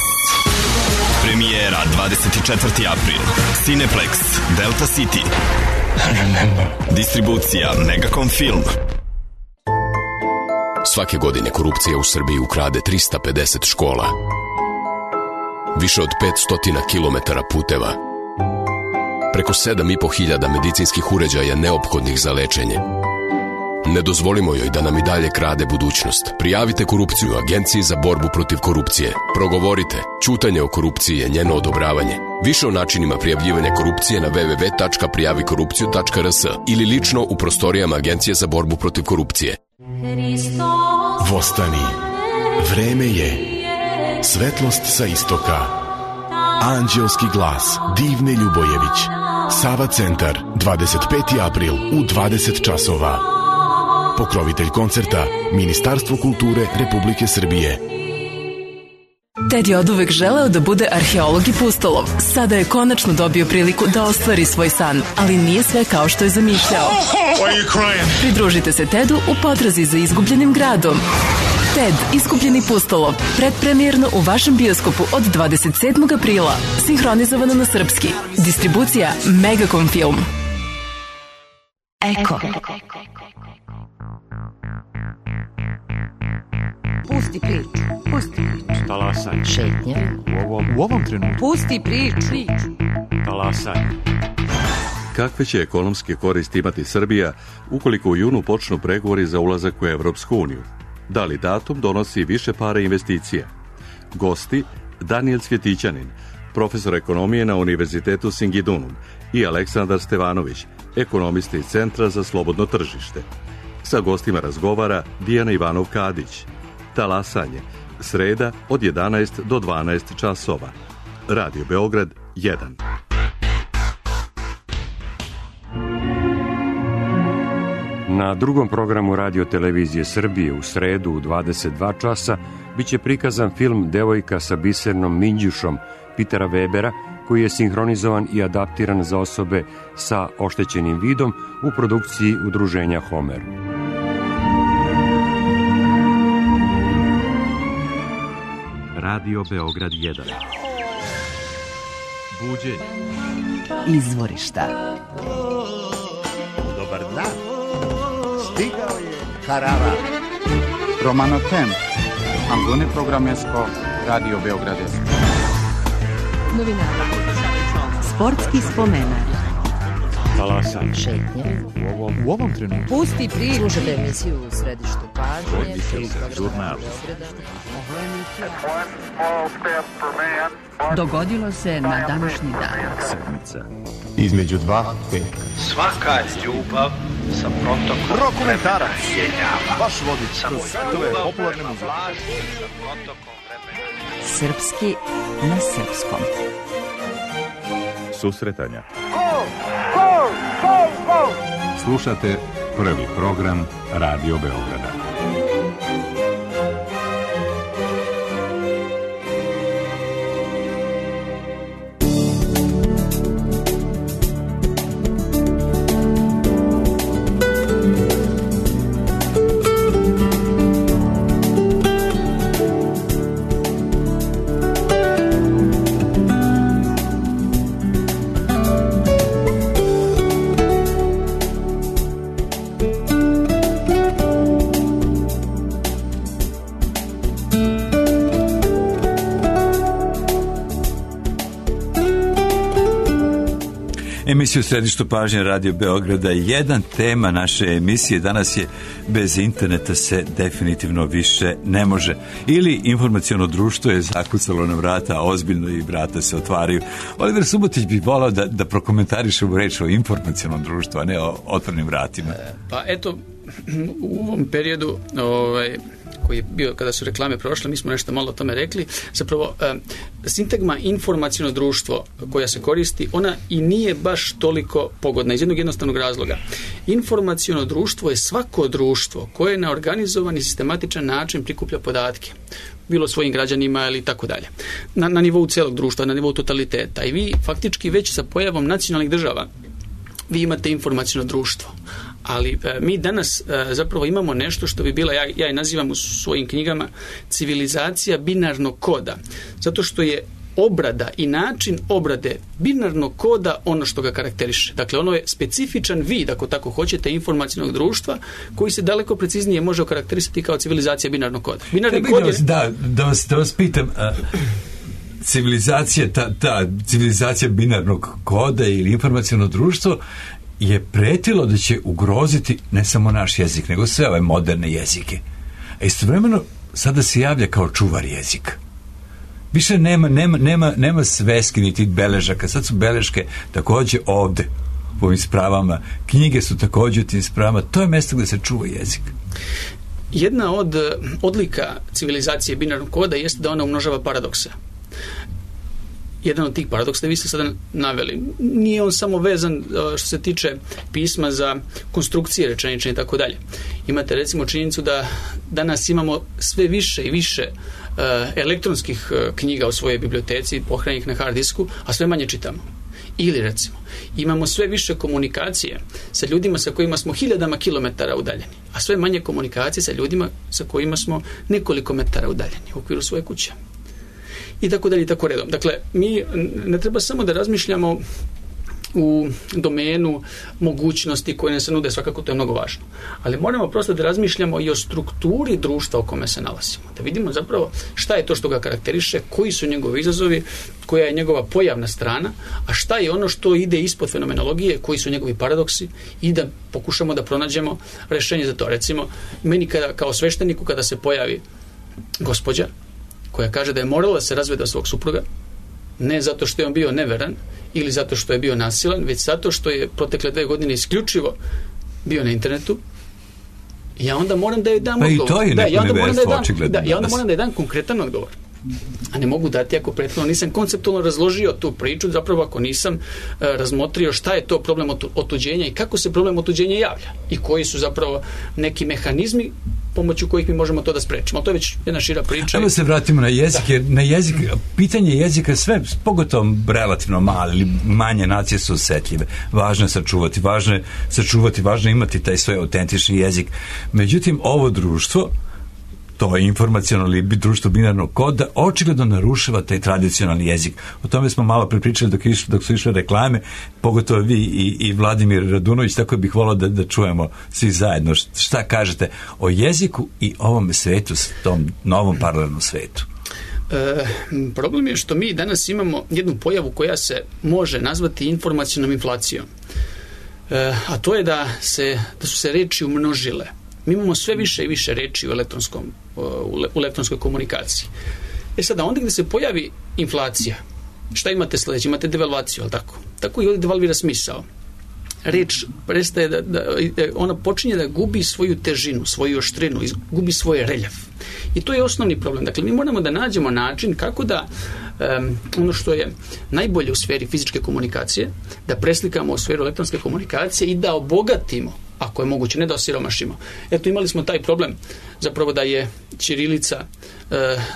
Premijera 24. april. Cineplex, Delta City. Distribucija Megacom Film. Svake godine korupcija u Srbiji ukrade 350 škola. Više od 500 kilometara puteva. Preko 7.500 medicinskih uređaja neophodnih za lečenje. Ne dozvolimo joj da nam i dalje krade budućnost. Prijavite korupciju Agenciji za borbu protiv korupcije. Progovorite. Ćutanje o korupciji je njeno odobravanje. Više o načinima prijavljivanja korupcije na www.prijavikorupciju.rs ili lično u prostorijama Agencije za borbu protiv korupcije. Vostani. Vreme je. Svetlost sa istoka. Anđelski glas Divne Ljubojević. Sava centar, 25. april u 20 časova. Pokrovitelj koncerta Ministarstvo kulture Republike Srbije. Ted je oduvek želeo da bude arheolog i pustolov. Sada je konačno dobio priliku da ostvari svoj san, ali nije sve kao što je zamišljao. Pridružite se Tedu u potrazi za izgubljenim gradom. Ted, izgubljeni pustolov, predpremijerno u vašem bioskopu od 27. aprila, sinhronizovano na srpski. Distribucija Megacom Film. Eko. Pusti priču. Pusti priču. Talasaj. Šetnja. U ovom trenutku. Pusti priču. Talasaj. Kakve će ekonomske koristi imati Srbija ukoliko u junu počnu pregovori za ulazak u Evropsku uniju? Da li datum donosi više para investicija? Gosti Daniel Cvjetićanin, profesor ekonomije na Univerzitetu Singidunum, i Aleksandar Stevanović, ekonomista iz Centra za slobodno tržište. Sa gostima razgovara Dijana Ivanov-Kadić. Talasanje, sreda od 11 do 12 časova. Radio Beograd 1. Na drugom programu Radio Televizije Srbije u sredu u 22 časa biće prikazan film Devojka sa bisernom minđušom Petera Webera, koji je sinhronizovan i adaptiran za osobe sa oštećenim vidom u produkciji udruženja Homer. Radio Beograd 1. Buđenje. Izvorišta. Dobar dan. Stigao je Harara. Romano Tem. Angone Programesko. Radio Beograd. Novinara. Sportski spomenar. Talasaj. Šetnje. U ovom trenutku. Pusti priču. Slušajte emisiju u središtu pažnje. Žurnal. Dogodilo se na današnji dan. Sedmica. Između dva peka. Svaka ljubav sa protokom Dokumentarac. Baš vodi samo ljubav popularne muzike. sa protokom vremena. Srpski na srpskom. Susretanja. Slušate prvi program Radio Beograda. emisiju u središtu pažnje Radio Beograda. Jedan tema naše emisije danas je bez interneta se definitivno više ne može. Ili informaciono društvo je zakucalo na vrata, ozbiljno i vrata se otvaraju. Oliver Subotić bi volao da prokomentariše u reč o informacionom društvu, a ne o otvornim vratima. Pa eto, u ovom periodu koji je bio kada su reklame prošle, mi smo nešto malo o tome rekli. Zapravo, sintagma informaciono društvo koja se koristi, ona i nije baš toliko pogodna iz jednog jednostavnog razloga. Informaciono društvo je svako društvo koje na organizovan i sistematičan način prikuplja podatke, bilo svojim građanima ili tako dalje. Na nivou celog društva, na nivou totaliteta. I vi faktički već sa pojavom nacionalnih država vi imate informaciono društvo. Ali mi danas zapravo imamo nešto što bi bila, ja je nazivam u svojim knjigama, civilizacija binarnog koda. Zato što je obrada i način obrade binarnog koda ono što ga karakteriše. Dakle, ono je specifičan vid, ako tako hoćete, informacionog društva koji se daleko preciznije može okarakterisati kao civilizacija binarnog koda. Binarni kod je... Da vas pitam... Civilizacija binarnog koda ili informaciono društvo je pretilo da će ugroziti ne samo naš jezik, nego sve ove moderne jezike. A istovremeno sada se javlja kao čuvar jezika. Više nema sveski niti beležaka. Sad su beleške također ovde u ovim spravama. Knjige su također u tim spravama. To je mjesto gdje se čuva jezik. Jedna od odlika civilizacije binarnog koda jeste da ona umnožava paradokse. Jedan od tih paradoksa vi ste sada naveli. Nije on samo vezan što se tiče pisma za konstrukcije rečenične i tako dalje. Imate recimo činjenicu da danas imamo sve više i više elektronskih knjiga u svojoj biblioteci, pohranjenih na hard disku, a sve manje čitamo. Ili recimo, imamo sve više komunikacije sa ljudima sa kojima smo hiljadama kilometara udaljeni, a sve manje komunikacije sa ljudima sa kojima smo nekoliko metara udaljeni u okviru svoje kuće. I tako dalje i tako redom. Dakle, mi ne treba samo da razmišljamo u domenu mogućnosti koje nam se nude, svakako to je mnogo važno. Ali moramo prosto da razmišljamo i o strukturi društva u kome se nalazimo. Da vidimo zapravo šta je to što ga karakteriše, koji su njegovi izazovi, koja je njegova pojavna strana, a šta je ono što ide ispod fenomenologije, koji su njegovi paradoksi i da pokušamo da pronađemo rješenje za to. Recimo, meni kao svešteniku kada se pojavi gospođa koja kaže da je morala da se razvede od svog supruga, ne zato što je on bio neveran ili zato što je bio nasilan, već zato što je protekle 2 godine isključivo bio na internetu, ja onda moram da je dam odgovor. Pa i to je neko neverstvo, očigledno. Ja onda moram da je dam konkretan odgovor. A ne mogu dati ako prethodno nisam konceptualno razložio tu priču, zapravo ako nisam razmotrio šta je to problem otuđenja i kako se problem otuđenja javlja i koji su zapravo neki mehanizmi pomoću kojih mi možemo to da sprečimo. To je već jedna šira priča. Evo se vratimo na jezik, jer na jezik, pitanje jezika sve, pogotovo relativno male ili manje nacije su osjetljive. Važno je sačuvati, važno je imati taj svoj autentični jezik. Međutim, ovo društvo, to je informacionalno društvo binarnog koda, očigledno narušava taj tradicionalni jezik. O tome smo malo prepričali dok su išle reklame, pogotovo vi i Vladimir Radunović, tako bih volao da čujemo svi zajedno. Šta kažete o jeziku i ovom svetu, tom novom paralelnom svetu? Problem je što mi danas imamo jednu pojavu koja se može nazvati informacionom inflacijom. A to je da su se reči umnožile. Mi imamo sve više i više reči u elektronskoj komunikaciji. Sada, onda gdje se pojavi inflacija, šta imate sljedeće? Imate devalvaciju, ali tako? Tako i ovdje devalvira smisao. Reč prestaje ona počinje da gubi svoju težinu, svoju oštrinu, gubi svoj reljef. I to je osnovni problem. Dakle, mi moramo da nađemo način kako da ono što je najbolje u sferi fizičke komunikacije, da preslikamo u sferu elektronske komunikacije i da obogatimo, ako je moguće, ne da osiromašimo. Eto, imali smo taj problem zapravo da je ćirilica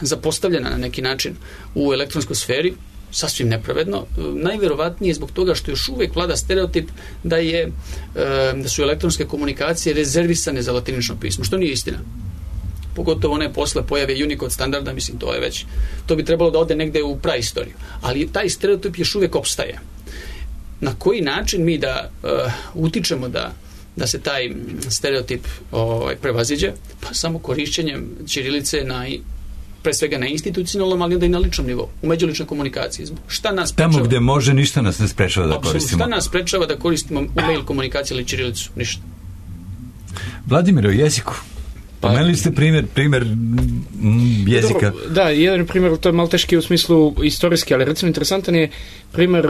zapostavljena na neki način u elektronskoj sferi, sasvim nepravedno, najvjerovatnije zbog toga što još uvijek vlada stereotip da su elektronske komunikacije rezervisane za latinično pismo, što nije istina. Pogotovo one posle pojave Unicode standarda, mislim, to bi trebalo da ode negde u praistoriju. Ali taj stereotip još uvijek opstaje. Na koji način mi da utičemo da se taj stereotip prevaziđe? Pa samo korišćenjem ćirilice na pre svega na institucionalnom, ali onda i na ličnom nivou, u međuličnoj komunikaciji. Šta nas sprečava? Tamo gde može, ništa nas ne sprečava da koristimo. Šta nas sprečava da koristimo mail komunikaciju ili ćirilicu? Ništa. Vladimir, o jeziku. Pomenuli ste primjer jezika. Dobro, da, jedan primjer, to je malo teški u smislu istorijski, ali recimo interesantan je primjer,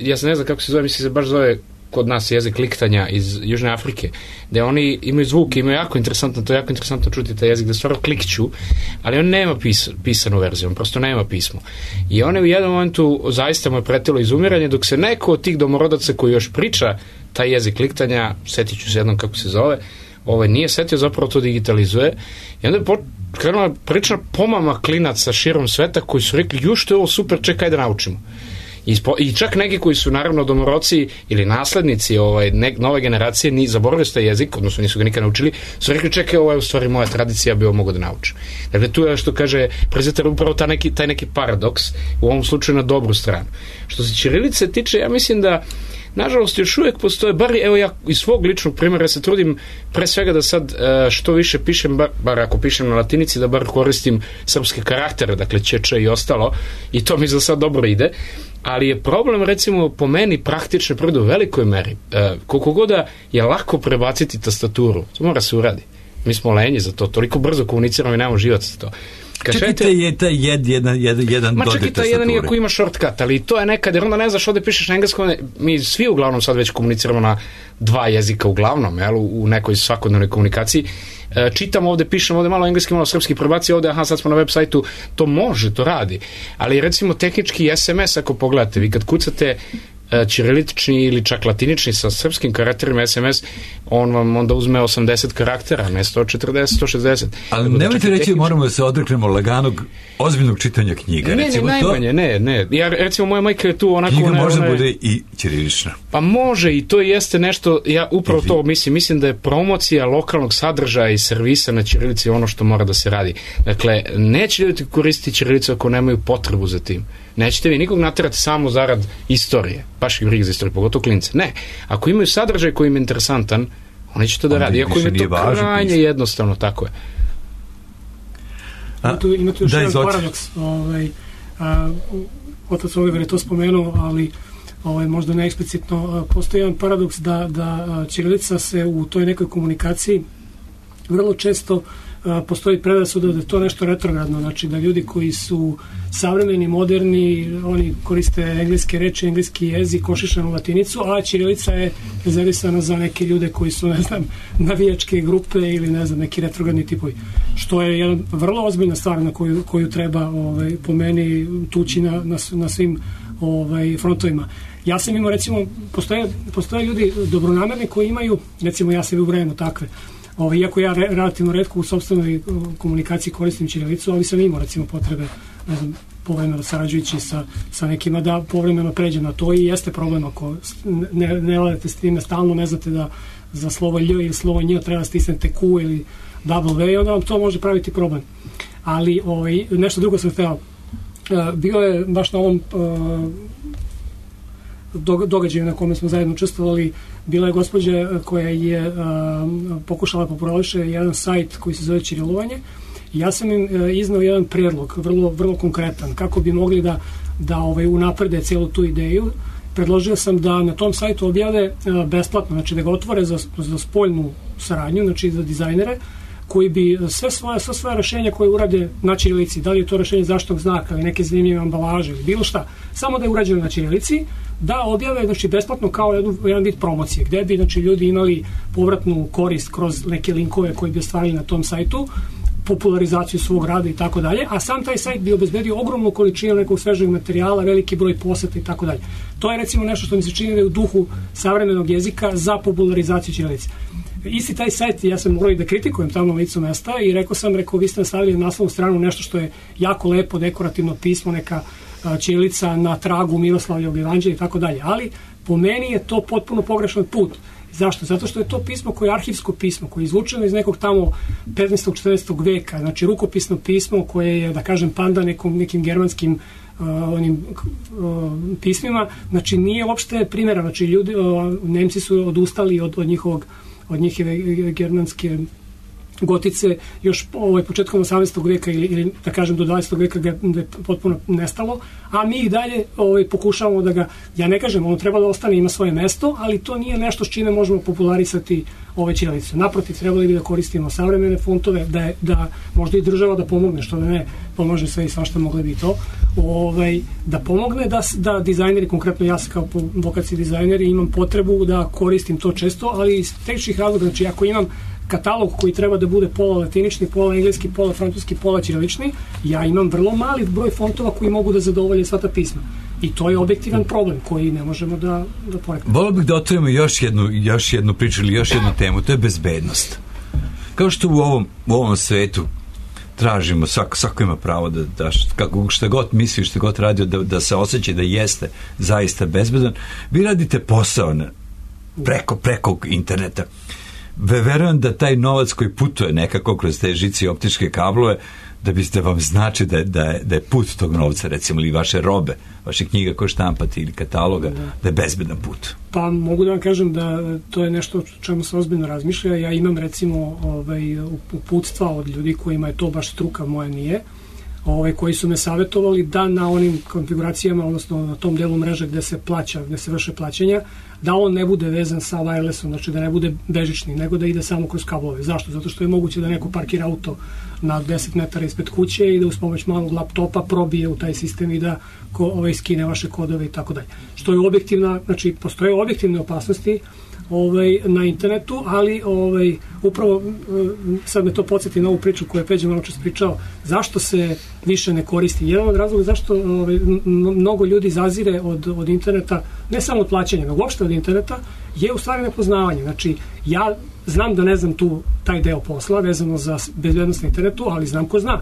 ja se ne znam kako se zove, mislim se baš zove kod nas jezik liktanja iz Južne Afrike, gde oni imaju zvuke, imaju jako interesantno, to je jako interesantno čuti taj jezik, da stvarno klikću, ali on nema pisanu verziju, on prosto nema pismo. I on je u jednom momentu zaista mu je pretilo izumiranje, dok se neko od tih domorodaca koji još priča taj jezik liktanja, setit ću se jednom kako se zove, nije setio, zapravo to digitalizuje, i onda je krenula priča pomama klinaca širom sveta koji su rekli, ju što je ovo super, čekaj da naučimo. I čak neki koji su naravno domoroci ili naslednici nove generacije zaboravili su taj jezik, odnosno nisu ga nikad naučili, su rekli čekaj, ovo je u stvari moja tradicija, bi ovo mogo da naučim. Dakle, tu je što kaže prezenter upravo taj neki paradoks, u ovom slučaju na dobru stranu. Što se ćirilice tiče, ja mislim da nažalost još uvijek postoje, evo ja iz svog ličnog primjera se trudim pre svega da sad što više pišem, bar ako pišem na latinici, da bar koristim srpske karaktere, dakle č i ostalo, i to mi za sad dobro ide, ali je problem recimo po meni praktične prvo u velikoj meri. Koliko god je lako prebaciti tastaturu, to mora se uradi. Mi smo lenji za to, toliko brzo komuniciramo i nemamo život za to. Čekajte je taj jedan ma dodir čekaj, taj jedan iako ima shortcut, ali to je nekad, jer onda ne znaš ovdje pišeš na engleskom, mi svi uglavnom sad već komuniciramo na dva jezika uglavnom, u nekoj svakodnevnoj komunikaciji. Čitam ovdje, pišem ovdje malo engleski, malo srpski, prebaci ovdje, sad smo na web sajtu, to može, to radi. Ali recimo tehnički SMS, ako pogledate, vi kad kucate ćirilični ili čak latinični sa srpskim karakterima SMS, on vam onda uzme 80 karaktera, ne 140, 160. Ali nemojte reći, moramo da se odreknemo laganog, ozbiljnog čitanja knjiga. Ne. Ja, recimo, moja majka je tu onako... Knjiga može da bude i ćirilična. Pa može, i to jeste nešto, ja upravo to mislim da je promocija lokalnog sadržaja i servisa na ćirilici ono što mora da se radi. Dakle, neće ljudi koristiti ćirilicu ako nemaju potrebu za tim. Nećete vi nikog naterati samo zarad istorije, baš ih briga za istoriju, pogotovo klince. Ne, ako imaju sadržaj koji im je interesantan, oni će to da radi, iako im je to krajnje jednostavno, tako je. Ima tu još jedan paradoks. Otac Oliver je to spomenuo, ali možda neeksplicitno. Postoji jedan paradoks da ćirilica se u toj nekoj komunikaciji vrlo često postoji predrasuda da je to nešto retrogradno, znači da ljudi koji su savremeni, moderni, oni koriste engleske reči, engleski jezik, košišanu latinicu, a ćirilica je rezervisana za neke ljude koji su, ne znam, navijačke grupe ili, ne znam, neki retrogradni tipovi. Što je jedna vrlo ozbiljna stvar na koju treba po meni tući na svim frontovima. Ja sam imao, recimo, postoje ljudi dobronamerni koji imaju, recimo ja sebi ubrajam takve, iako ja relativno retko u sopstvenoj komunikaciji koristim ćirilicu, ali sam imao recimo potrebe, ne znam, povremeno sarađujući sa nekima da povremeno pređem na to i jeste problem ako ne ladete s time stalno, ne znate da za slovo Lj ili slovo Nj treba stisnete Q ili W i onda vam to može praviti problem. Ali nešto drugo sam hteo. Bio je baš na ovom događaju na kome smo zajedno učestvovali, bila je gospođa koja je pokušala populariše jedan sajt koji se zove Ćirilovanje. Ja sam im iznao jedan prijedlog, vrlo, vrlo konkretan, kako bi mogli da unaprede celu tu ideju. Predložio sam da na tom sajtu objave besplatno, znači da ga otvore za spoljnu saradnju, znači za dizajnere, koji bi sve svoje rešenja koje urade na ćirilici, da li je to rešenje zaštitnog znaka ili neke zanimljive ambalaže ili bilo šta, samo da je urađeno na ćirilici, da objave, znači, besplatno kao jedan vid promocije, gde bi, znači, ljudi imali povratnu korist kroz neke linkove koji bi ostvarili na tom sajtu, popularizaciju svog rada i tako dalje, a sam taj sajt bi obezbedio ogromnu količinu nekog svežeg materijala, veliki broj poseta i tako dalje. To je, recimo, nešto što mi se čini da je u duhu savremenog jezika za popularizaciju ćirilice. Isti taj sajt, ja sam morao i da kritikujem tamo na licu mesta i rekao, vi ste nastavili na naslovnu stranu nešto što je jako lepo, dekorativno pismo, neka ćirilica na tragu Miroslavljevog evanđelja i tako dalje, ali po meni je to potpuno pogrešan put. Zašto? Zato što je to pismo koje je arhivsko pismo, koje je izvučeno iz nekog tamo 15. 14. veka, znači rukopisno pismo koje je, da kažem, panda nekim germanskim pismima, znači nije uopšte primjera, znači ljudi, Nemci su odustali od njihove germanske gotice još početkom 18. veka ili da kažem do 20. veka gde je potpuno nestalo, a mi i dalje pokušavamo da ga, ja ne kažem, ono treba da ostane, ima svoje mesto, ali to nije nešto s čime možemo popularisati ove ćirilice. Naprotiv, trebali bi da koristimo savremene fontove, da možda i država da pomogne, što da ne pomože sve i svašta, mogli bi to, da pomogne da dizajneri, konkretno ja kao vokaciji dizajneri imam potrebu da koristim to često, ali iz tehničkih razloga, znači ako imam katalog koji treba da bude pola latinični, pola engleski, pola francuski, pola ćirilični, ja imam vrlo mali broj fontova koji mogu da zadovolje sva ta pisma. I to je objektivan problem koji ne možemo da poreknemo. Volio bih da otvorimo još jednu priču ili još jednu temu, to je bezbednost. Kao što u ovom svetu tražimo, svako ima pravo da šta god misli, šta god radi, da se osjeća da jeste zaista bezbedan. Vi radite posao preko interneta. Verujem da taj novac koji putuje nekako kroz te žice i optičke kablove, da vam znači da je put tog novca, recimo, ili vaše robe, vaše knjiga koje štampate ili kataloga, da je bezbedan put. Pa mogu da vam kažem da to je nešto o čemu se ozbiljno razmišlja. Ja imam recimo uputstva od ljudi kojima je to baš struka, moja nije, koji su me savjetovali da na onim konfiguracijama, odnosno na tom delu mreže gde se plaća, gde se vrše plaćanja, da on ne bude vezan sa wirelessom, znači da ne bude bežični, nego da ide samo kroz kablove. Zašto? Zato što je moguće da neko parkira auto na 10 metara ispred kuće i da uz pomoć malog laptopa probije u taj sistem i da skine vaše kodove i tako dalje. Što je objektivna, znači postoje objektivne opasnosti na internetu, ali upravo sad me to podsjeti na ovu priču koju je Peđa malo čas pričao, zašto se više ne koristi. Jedan od razloga zašto mnogo ljudi zazire od interneta, ne samo od plaćanja, nego uopšte od interneta, je u stvari nepoznavanje. Znači, ja znam da ne znam taj deo posla vezano za bezbednost na internetu, ali znam ko zna.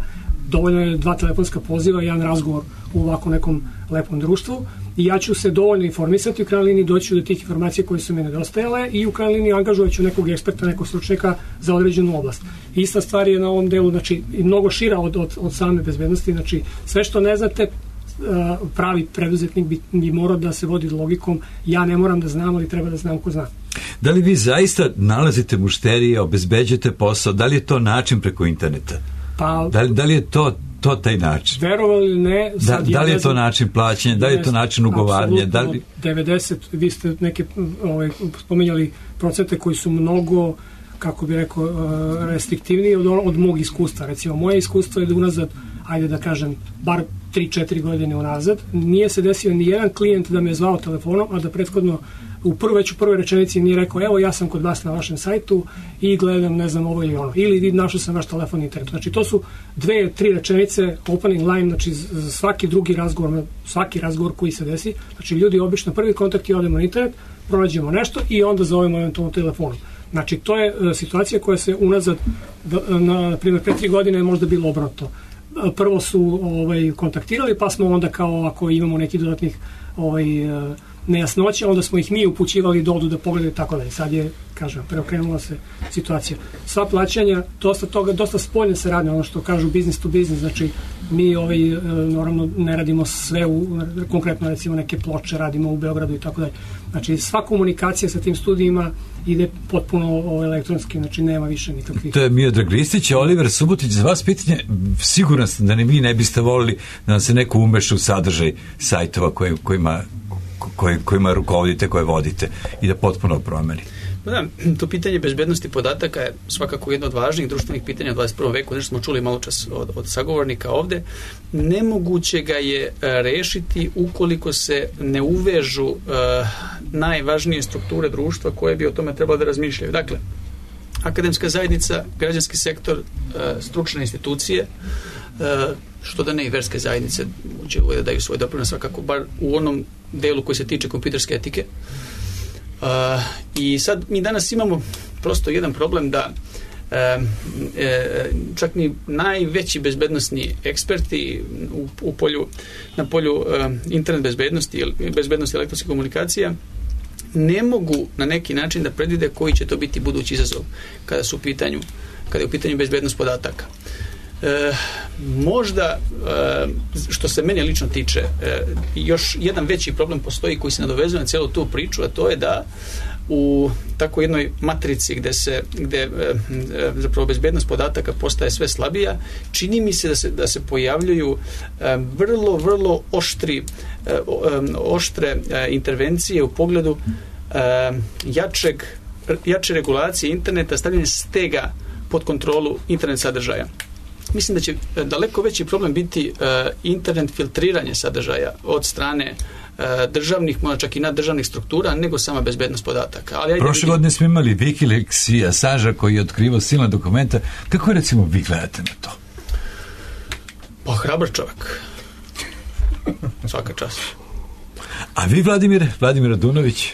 Dovoljno je 2 telefonska poziva i 1 razgovor u ovako nekom lepom društvu i ja ću se dovoljno informisati, u krajnjoj liniji doći do tih informacija koje su mi nedostajale i u krajnjoj liniji angažovat ću nekog eksperta, nekog stručnjaka za određenu oblast. Ista stvar je na ovom delu, znači mnogo šira od same bezbednosti, znači sve što ne znate, pravi preduzetnik bi morao da se vodi logikom, ja ne moram da znam, ali treba da znam ko zna. Da li vi zaista nalazite mušterije, obezbeđujete posao, da li je to način preko interneta? Pa, da li je to taj način? Verovali ili ne, da li je to način plaćanja, da li je to način ugovaranja? Da li 90, vi ste neke spominjali procente koji su mnogo, kako bi rekao, restriktivniji od mog iskustva. Recimo, moje iskustvo je da unazad, ajde da kažem, bar 3-4 godine unazad, nije se desio ni jedan klijent da me je zvao telefonom, a da prethodno već u prvoj rečenici nije rekao, evo ja sam kod vas na vašem sajtu i gledam, ne znam, ovo ili ono, ili našao sam vaš telefon na internetu. Znači to su 2-3 rečenice, opening line, znači svaki drugi razgovor, svaki razgovor koji se desi, znači ljudi obično prvi kontakt i odemo na internet, pronađemo nešto i onda zovemo eventualno telefonom. Znači to je situacija koja se unazad, na primjer, 5-3 godine je možda bilo obrnuto. Prvo su kontaktirali, pa smo onda kao ako imamo neki dodatnih nejasnoća, onda smo ih mi upućivali da odu da pogledaju i tako dalje. Sad je, kažem, preokrenula se situacija. Sva plaćanja, dosta spoljne se radi, ono što kažu business to business, znači mi normalno ne radimo sve, konkretno recimo neke ploče radimo u Beogradu i tako dalje. Znači sva komunikacija sa tim studijima ide potpuno elektronski, znači nema više nikakvih. To je Miodrag Ristić, Oliver Subotić, za vas pitanje, siguran sam da vi ne biste volili da nam se neko umeša u sadržaj sajtova kojima rukovodite, koje vodite i da potpuno promeni. Da, to pitanje bezbednosti podataka je svakako jedno od važnijih društvenih pitanja u 21. veku, nešto smo čuli malo čas od sagovornika ovde. Nemoguće ga je rešiti ukoliko se ne uvežu najvažnije strukture društva koje bi o tome trebalo da razmišljaju. Dakle, akademska zajednica, građanski sektor, stručne institucije, što da ne i verske zajednice će da daju svoj doprinos, svakako bar u onom delu koji se tiče kompjuterske etike. I sad mi danas imamo prosto jedan problem da čak ni najveći bezbednosni eksperti na polju internet bezbednosti elektronskih komunikacija ne mogu na neki način da predvide koji će to biti budući izazov kada je u pitanju bezbednost podataka. Možda, što se mene lično tiče, još jedan veći problem postoji koji se nadovezuje na cijelu tu priču, a to je da u tako jednoj matrici gde zapravo bezbednost podataka postaje sve slabija, čini mi se da se pojavljuju vrlo oštre intervencije u pogledu jače regulacije interneta, stavljanje stega pod kontrolu internet sadržaja. Mislim da će daleko veći problem biti internet filtriranje sadržaja od strane državnih, možda čak i naddržavnih struktura, nego sama bezbednost podataka. Prošle godine smo imali Wikileaks i Assange koji je otkrivao silna dokumenta. Kako recimo vi gledate na to? Pa hrabar čovjek. Svaka čast. A vi, Vladimir Radunović?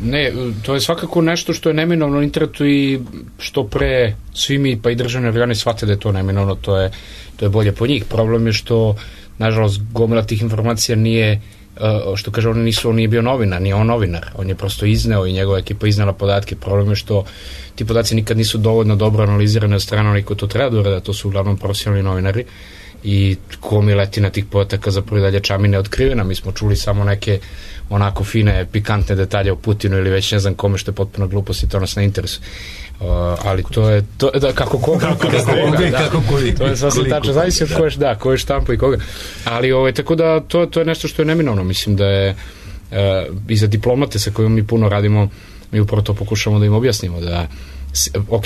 Ne, to je svakako nešto što je neminovno na internetu i što pre svi mi pa i državne organe shvate da je to neminovno, to je bolje po njih. Problem je što nažalost gomila tih informacija nije, što kaže, on nije bio novinar, nije on novinar, on je prosto izneo i njegova ekipa iznala podatke. Problem je što ti podaci nikad nisu dovoljno dobro analizirani od strane onih ko to treba da urada, to su uglavnom profesionalni novinari i gomiletina tih podataka zapravo i dalje čamine otkrivena. Mi smo čuli samo neke onako fine, pikantne detalje o Putinu ili već ne znam kome, što je potpuno glupost i to nas ne interesuje. Ali to je da, kako koji, to je sasvim tačno, zavisi od koje štampa i koga, ali tako da to je nešto što je neminovno. Mislim da je i za diplomate sa kojima mi puno radimo, mi upravo to pokušamo da im objasnimo, da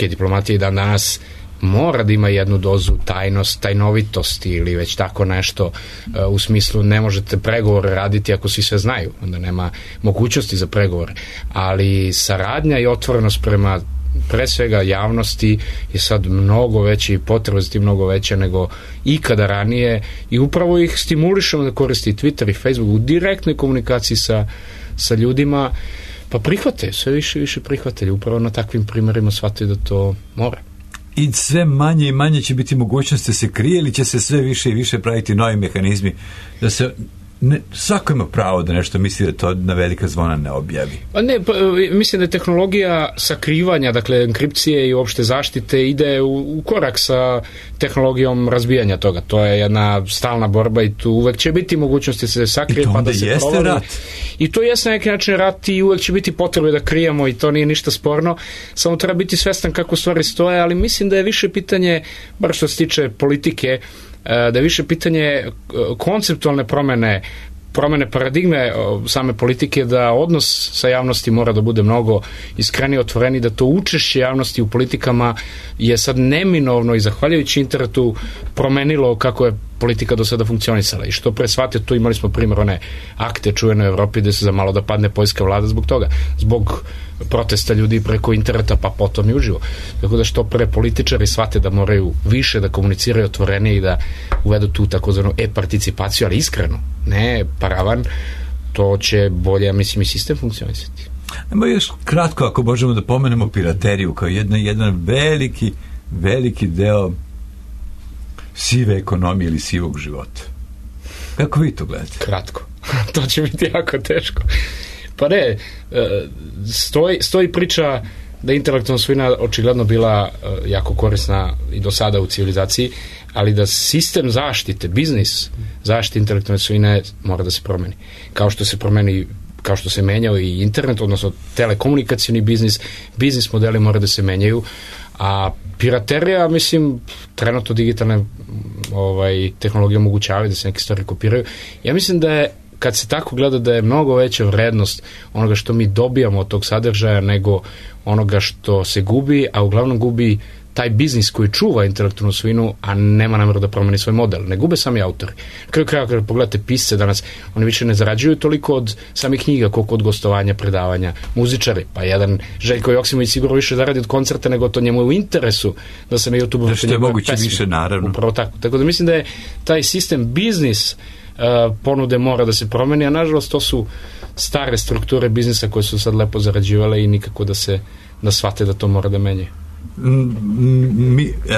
diplomatija i dan danas mora da ima jednu dozu tajnovitosti ili već tako nešto, u smislu ne možete pregovore raditi ako svi sve znaju, onda nema mogućnosti za pregovore, ali saradnja i otvorenost prema pre svega javnosti je sad mnogo veće i potreba za tim mnogo veća nego ikada ranije i upravo ih stimulišemo da koristi Twitter i Facebook u direktnoj komunikaciji sa ljudima, pa prihvate, sve više prihvatelji, upravo na takvim primjerima shvataju da to mora. I sve manje i manje će biti mogućnosti da se krije ili će se sve više i više praviti novi mehanizmi da se svako ima pravo da nešto misli da to na velika zvona ne objavi. Mislim da je tehnologija sakrivanja, dakle enkripcije i uopšte zaštite ide u korak sa tehnologijom razbijanja toga. To je jedna stalna borba i tu uvek će biti mogućnosti da se sakrije pa da se provali. Rat. I to jeste na neki način rat i uvek će biti potrebe da krijemo i to nije ništa sporno. Samo treba biti svestan kako stvari stoje, ali mislim da je više pitanje, bar što se tiče politike, da je više pitanje konceptualne promene paradigme same politike, da odnos sa javnosti mora da bude mnogo iskreniji, otvoreni, da to učešće javnosti u politikama je sad neminovno i zahvaljujući internetu promenilo kako je politika do sada funkcionisala i što pre shvatio, tu imali smo primjer one akte čuvene u Evropi gde se za malo da padne poljska vlada zbog toga, zbog protesta ljudi preko interneta pa potom i uživo. Tako da što pre političari shvate da moraju više da komuniciraju otvorenije i da uvedu tu takozvanu e-participaciju, ali iskreno, ne paravan, to će bolje, mislim, i sistem funkcionisati. Evo još kratko, ako možemo da pomenemo pirateriju kao jedan veliki deo sive ekonomije ili sivog života. Kako vi to gledate? Kratko. To će biti jako teško. Pa ne, stoji priča da je intelektualna svojina očigledno bila jako korisna i do sada u civilizaciji, ali da sistem zaštite, biznis zaštite intelektualne svojine mora da se promeni. Kao što se menjao i internet, odnosno telekomunikacioni biznis modeli mora da se menjaju, a piraterija, mislim, trenutno digitalne tehnologije omogućavaju da se neke stvari kopiraju. Ja mislim da je, kad se tako gleda, da je mnogo veća vrednost onoga što mi dobijamo od tog sadržaja nego onoga što se gubi, a uglavnom gubi taj biznis koji čuva intelektualnu svojinu, a nema namjeru da promeni svoj model. Ne gube sami autori. Kraju kraja, kada pogledate pisce danas, oni više ne zarađuju toliko od samih knjiga, koliko od gostovanja, predavanja, muzičari. Pa jedan Željko Joksimović sigurno više zaradi od koncerta, nego to njemu je u interesu da se na YouTube da što je moguće više, naravno. Upravo tako. Tako da mislim da je taj sistem biznis ponude mora da se promeni, a nažalost to su stare strukture biznisa koje su sad lepo zarađivale i nikako da shvate da to mora da menjaju.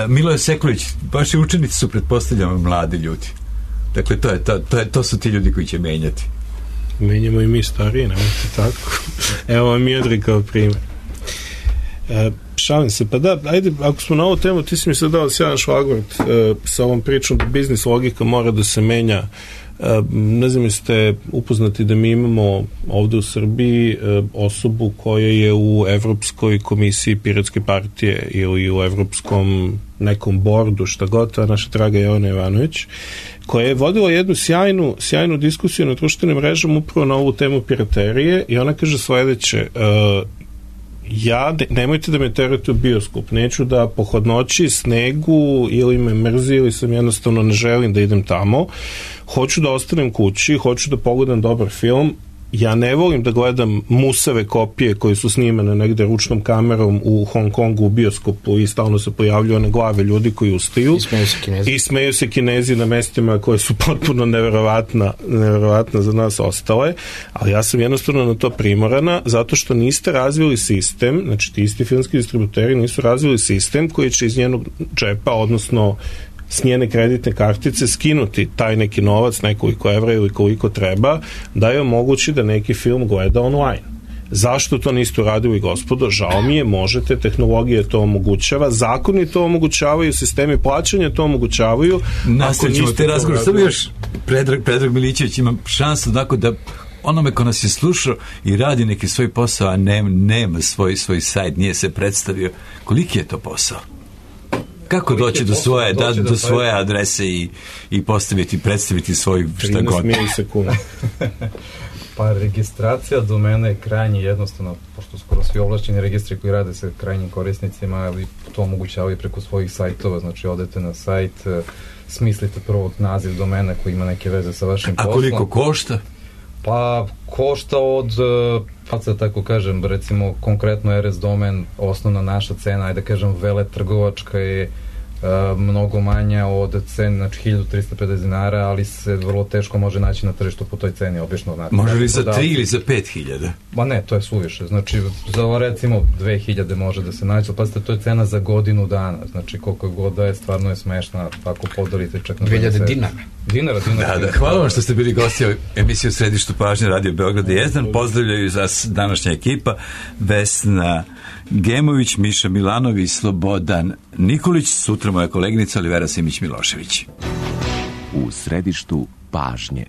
Miloje Sekulić, vaši učenici su, pretpostavljamo, mladi ljudi. Dakle, to su ti ljudi koji će menjati. Menjamo i mi stariji, nemojte tako. Evo vam Miodrag kao primjer. šalim se. Pa da, ajde, ako smo na ovu temu, ti si mi sad dao sjajan šlagvort sa ovom pričom da biznis logika mora da se menja. Ne znam, jeste upoznati da mi imamo ovde u Srbiji osobu koja je u Evropskoj komisiji Piratske partije ili u Evropskom nekom bordu, šta god, a naša draga Jelena Ivanović, koja je vodila jednu sjajnu diskusiju na društvenim mrežama upravo na ovu temu piraterije i ona kaže sledeće: nemojte da me terate u bioskop, neću da po hladnoći, snegu ili me mrzi ili sam jednostavno ne želim da idem tamo, hoću da ostanem kući, hoću da pogledam dobar film. Ja ne volim da gledam musave kopije koje su snimane negde ručnom kamerom u Hong Kongu u bioskopu i stalno se pojavljuju one glave ljudi koji ustaju i smeju se Kinezi na mestima koje su potpuno neverovatna za nas ostale, ali ja sam jednostavno na to primorana zato što niste razvili sistem, znači ti isti filmski distributeri nisu razvili sistem koji će iz njenog džepa, odnosno s njene kreditne kartice skinuti taj neki novac, nekoliko evra ili koliko treba, da je omogući da neki film gleda online. Zašto to niste uradili, gospodo? Žao mi je, možete, tehnologija to omogućava, zakoni to omogućavaju, sistemi plaćanja to omogućavaju. Nastavit te razgovor, samo još Predrag Milićević ima šansu da onome ko nas je slušao i radi neki svoj posao, a nema svoj sajt, nije se predstavio. Koliki je to posao? Kako doći do svoje adrese i predstaviti svoj šta god? 13 milisekundi. Pa registracija domena je krajnje jednostavno, pošto skoro svi ovlašćeni registri koji rade sa krajnjim korisnicima, ali to omogućavaju preko svojih sajtova, znači odete na sajt, smislite prvo naziv domena koji ima neke veze sa vašim poslom. A koliko košta? Pa košta od, da tako kažem, recimo konkretno RS domen, osnovna naša cena, ajde kažem veletrgovačka je mnogo manja od cene, znači 1350 dinara, ali se vrlo teško može naći na tržištu po toj ceni, obično. Znači, može li za 3 ili za 5.000? Ma ne, to je suviše, znači za recimo 2000 može da se naći, ali pazite, to je cena za godinu dana, znači koliko god da je, stvarno je smešna, ako podelite čak na 2000 dinara. Da, hvala vam što ste bili gosti emisije u Središtu pažnje Radio Beograd i Jezdan. Pozdravljaju vas današnja ekipa: Vesna Gemović, Miša Milanović, Slobodan Nikolić, sutra moja koleginica Olivera Simić-Milošević. U Središtu pažnje.